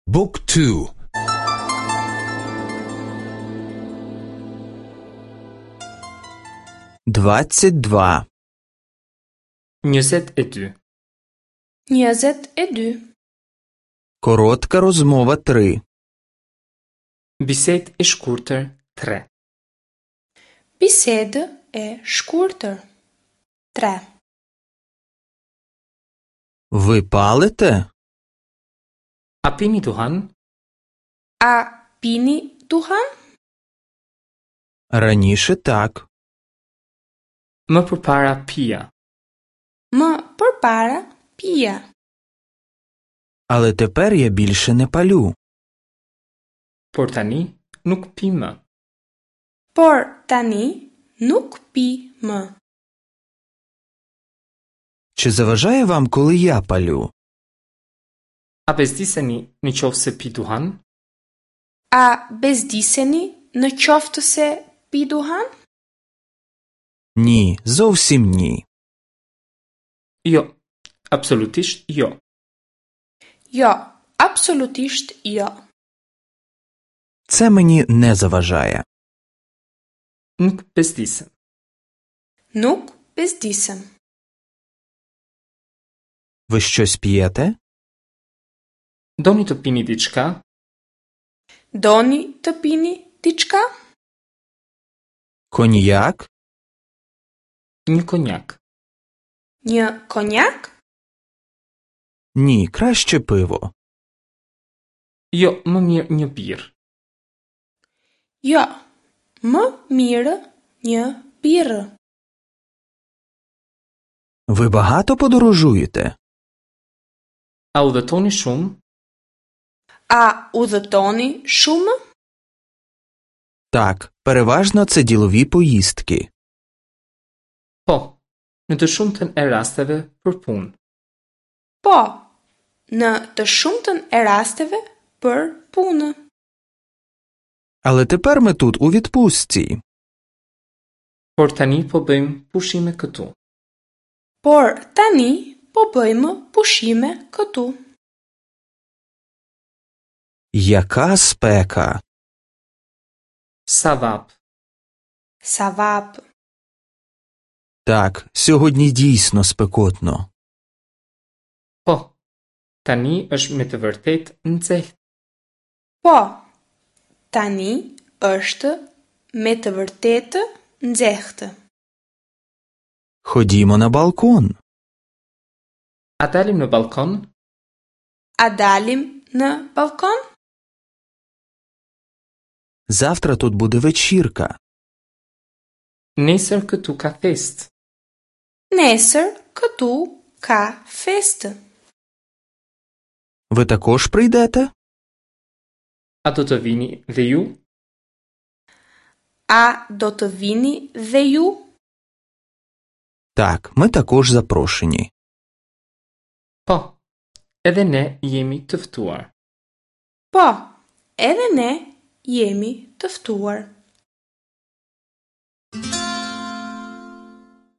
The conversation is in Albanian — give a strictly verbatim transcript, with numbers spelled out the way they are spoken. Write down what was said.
Book two. Двадцять два. Njëzet e dy. Njëzet e dy. Коротка розмова три. Bisedë e shkurtër tre. Bisedë e shkurtër tre. Ви палите? A pini duhan? A pini duhan? Раніше так. Më përpara pija. Më përpara pija. Але тепер я більше не палю. Por tani nuk pi më. Por tani nuk pi më. Чи заважає вам, коли я палю? A bezdiseni në qoftë se pi duhan? A bezdiseni në qoftë se pi duhan? Ні, зовсім ні. Jo, absolutisht jo. Jo, absolutisht jo. Це мені не заважає. Nuk bezdisem. Nuk bezdisem. Ви щось п'єте? Doni të pini diçka? Doni të pini diçka? Коньяк? Një konjak. Një konjak? Ні, краще пиво. Jo, më mirë një birrë. Jo, më mirë një birrë. Ви багато подорожуєте? A udhëtoni shumë? A udhëtoni shumë? Так, переважно це ділові поїздки. Po, në të shumtën e rasteve për punë. Po, në të shumtën e rasteve për punë. Але тепер ми тут у відпустці. Por tani po bëjmë pushime këtu. Por tani po bëjmë pushime këtu. Яка спека! Sa vap. Sa vap. Так, сьогодні дійсно спекотно. Po, tani është me të vërtetë nxehtë. Po, tani është me të vërtetë nxehtë. Ходімо на балкон. A dalim në balkon? A dalim në balkon? Завтра тут буде вечірка. Nesër këtu ka festë. Nesër këtu ka festë. Ви також прийдете? A do të vini dhe ju? A do të vini dhe ju? Так, ми також запрошені. Po, edhe ne jemi të ftuar. Po, edhe ne jemi të ftuar.